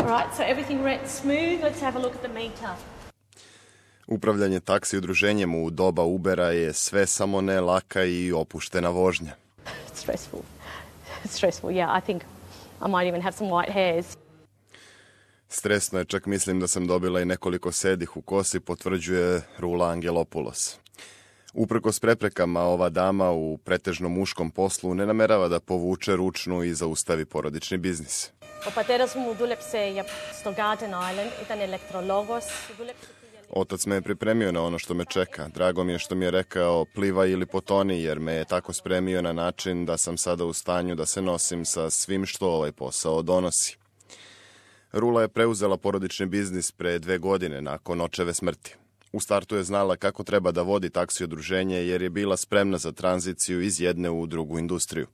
Right, so everything went smooth. Let's have a look at the meter. Upravljanje taksi udruženjem u doba Ubera je sve samo ne laka i opuštena vožnja. Stressful. Stressful, yeah. I think I might even have some white hairs. Stresno je, čak mislim da sam dobila i nekoliko sedih u kosi, potvrđuje Rula Angelopoulos. Uprkos preprekama, ova dama u pretežno muškom poslu ne namerava da povuče ručnu i zaustavi porodični biznis. Otac me je pripremio na ono što me čeka. Drago mi je što mi je rekao plivaj ili potoni, jer me je tako spremio na način da sam sada u stanju da se nosim sa svim što ovaj posao donosi. Rula je preuzela porodični biznis pre 2 godine nakon očeve smrti. U startu je znala kako treba da vodi taksi udruženje jer je bila spremna za tranziciju iz jedne u drugu industriju.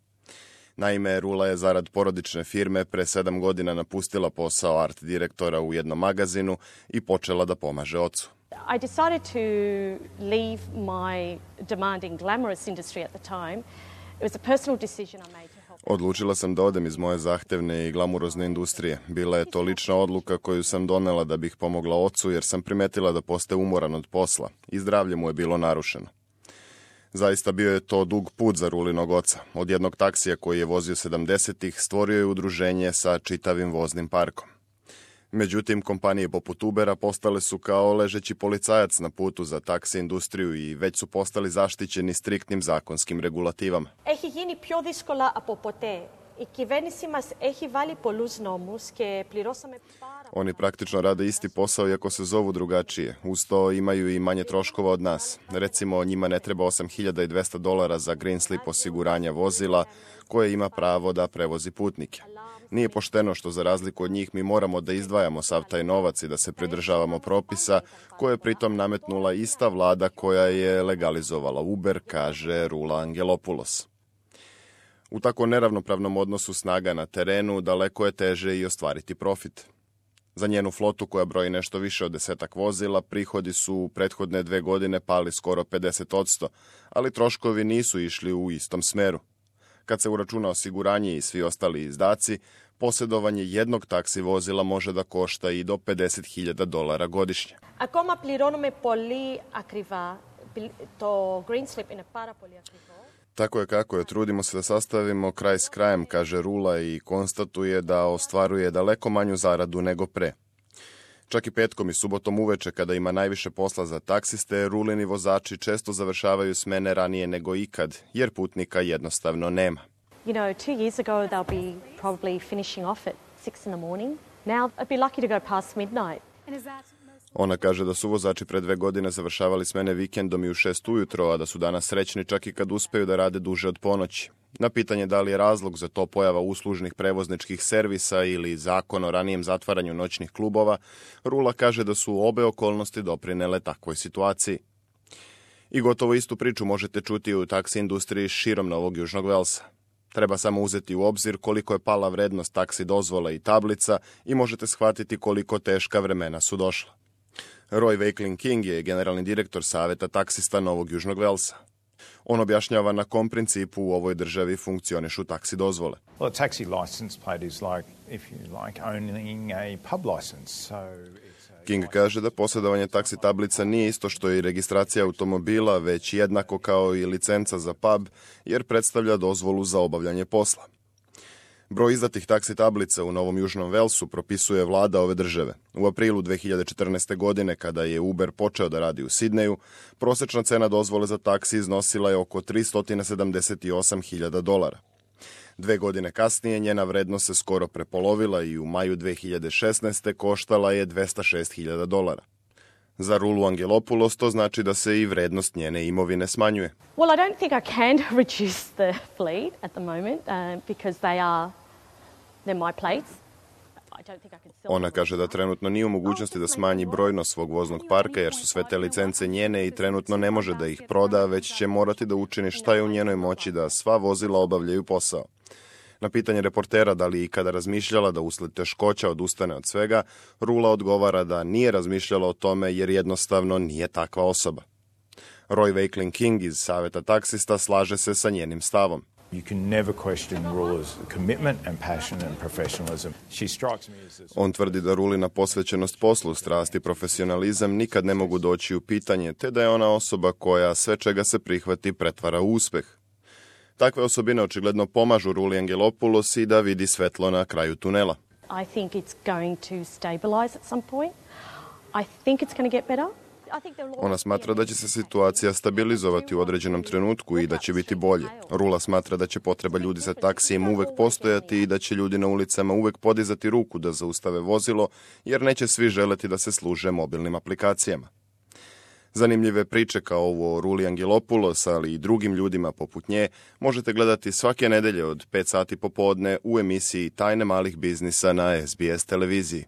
Naime, Rula je zarad porodične firme pre 7 godina napustila posao art direktora u jednom magazinu i počela da pomaže ocu. I decided to leave my demanding glamorous industry at the time. It was a personal decision I made to help. Odlučila sam da odem iz moje zahtevne i glamurozne industrije. Bila je to lična odluka koju sam donela da bih pomogla ocu jer sam primetila da postaje umoran od posla i zdravlje mu je bilo narušeno. Zaista bio je to dug put za Rulinog oca. Od jednog taksija koji je vozio 70-ih stvorio je udruženje sa čitavim voznim parkom. Međutim, kompanije poput Ubera postale su kao ležeći policajac na putu za taksi industriju i već su postali zaštićeni striktnim zakonskim regulativama. Έχει γίνει πιο δύσκολα από ποτέ. Η κυβέρνηση μας έχει βάλει πολλούς νόμους και πληρώσαμε πάρα. Oni praktično rade isti posao iako se zovu drugačije. Uz to imaju i manje troškova od nas. Recimo, njima ne treba $8.200 za green slip osiguranja vozila koje ima pravo da prevozi putnike. Nije pošteno što za razliku od njih mi moramo da izdvajamo sav taj novac i da se pridržavamo propisa koje je pritom nametnula ista vlada koja je legalizovala Uber, kaže Rula Angelopoulos. U tako neravnopravnom odnosu snaga na terenu daleko je teže i ostvariti profit. Za njenu flotu koja broji nešto više od 10 vozila, prihodi su u prethodne 2 godine pali skoro 50%, ali troškovi nisu išli u istom smeru. Kad se uračuna osiguranje i svi ostali izdaci, posjedovanje jednog taksi vozila može da košta i do $50.000 godišnje. Ακόμα πληρώνουμε πολύ ακριβά το green slip είναι πάρα πολύ ακριβό. Tako je kako je, trudimo se da sastavimo kraj s krajem, kaže Rula i konstatuje da ostvaruje daleko manju zaradu nego pre. Čak i petkom i subotom uveče, kada ima najviše posla za taksiste, Rulini vozači često završavaju smene ranije nego ikad, jer putnika jednostavno nema. You know, 2 years ago they'll be probably finishing off at 6 in the morning. Now I'd be lucky to go past midnight. Ona kaže da su vozači pre 2 godine završavali smene vikendom i u 6 ujutro, a da su danas srećni čak i kad uspeju da rade duže od ponoći. Na pitanje da li je razlog za to pojava uslužnih prevozničkih servisa ili zakon o ranijem zatvaranju noćnih klubova, Rula kaže da su obe okolnosti doprinele takvoj situaciji. I gotovo istu priču možete čuti u taksi industriji širom Novog Južnog Velsa. Treba samo uzeti u obzir koliko je pala vrednost taksi dozvola i tablica i možete shvatiti koliko teška vremena su došla. Roy Wakeling King je generalni direktor Saveta taksista Novog Južnog Velsa. On objašnjava na kom principu u ovoj državi funkcionišu taksi dozvole. Well, a taxi license plate is like, if you like, owning a pub license. King kaže da posjedovanje taksi tablica nije isto što i registracija automobila, već jednako kao i licenca za pub, jer predstavlja dozvolu za obavljanje posla. Broj izdatih taksi tablica u Novom Južnom Velsu propisuje vlada ove države. U aprilu 2014. godine, kada je Uber počeo da radi u Sidneju, prosečna cena dozvole za taksi iznosila je oko $378.000. 2 godine kasnije njena vrednost se skoro prepolovila i u maju 2016. koštala je $206.000. Za Rulu Angelopoulos to znači da se i vrednost njene imovine smanjuje. Well, I don't think I can reduce the fleet at the moment because they're my plates. I don't think I can sell. Ona kaže da trenutno nije u mogućnosti da smanji brojnost svog voznog parka jer su sve te licence njene i trenutno ne može da ih proda, već će morati da učini šta je u njenoj moći da sva vozila obavljaju posao. Na pitanje reportera da li je ikada razmišljala da usled teškoća odustane od svega, Rula odgovara da nije razmišljala o tome jer jednostavno nije takva osoba. Roy Wakeling King iz Saveta taksista slaže se sa njenim stavom. You can never question Rula's commitment and passion and professionalism. She strikes me as this... On tvrdi da Rulina posvećenost poslu, strast i profesionalizam nikad ne mogu doći u pitanje, te da je ona osoba koja sve čega se prihvati pretvara u uspeh. Takve osobine očigledno pomažu Ruli Angelopoulos i da vidi svetlo na kraju tunela. I think it's going to stabilize at some point. I think it's going to get better. Ona smatra da će se situacija stabilizovati u određenom trenutku i da će biti bolje. Rula smatra da će potreba ljudi za taksijem uvek postojati i da će ljudi na ulicama uvek podizati ruku da zaustave vozilo, jer neće svi želeti da se služe mobilnim aplikacijama. Zanimljive priče kao ovo o Ruli Angelopoulos, ali i drugim ljudima poput nje, možete gledati svake nedelje od 5 sati popodne u emisiji Tajne malih biznisa na SBS televiziji.